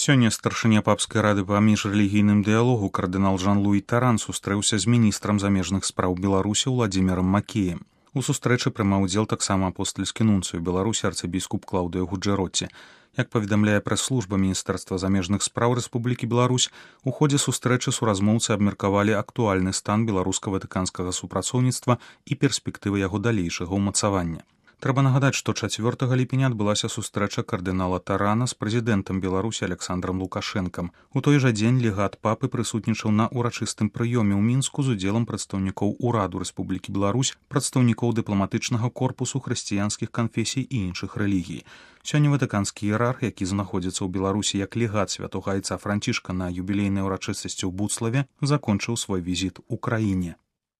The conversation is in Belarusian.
Сёння старшыня папскай рады па міжрэлігійным дыялогу кардынал Жан-Луі Таран сустрэўся з міністрам замежных спраў Беларусі Уладзімірам Макеем. У сустрэчы прымаў удзел таксама апостальскі нунцыю Беларусі арцыбіскуп Клаўдыё Гуджэроці. Як паведамляе прэс-служба Міністэрства замежных спраў Рэспублікі Беларусь, у ходзе сустрэчы суразмоўцы абмеркавалі актуальны стан беларуска-ватыканскага супрацоўніцтва і перспектывы яго далейшага ўмацавання. Трэба нагадаць, што 4 ліпеня адбылася сустрэча кардынала Тарана з прэзідэнтам Беларусі Александрам Лукашэнкам. У той жа дзень легат папы прысутнічаў на ўрачыстым прыёме ў Мінску з удзелам прадстаўнікоў ураду Рэспублікі Беларусь, прадстаўнікоў дыпламатычнага корпусу хрысціянскіх канфесій і іншых рэлігій. Сёння ватыканскі іерарх, які знаходзіцца ў Беларусі як легат святога айца Францішка на юбілейнай урачыстасці ў Буцлаве, закончыў свой візіт у краіне.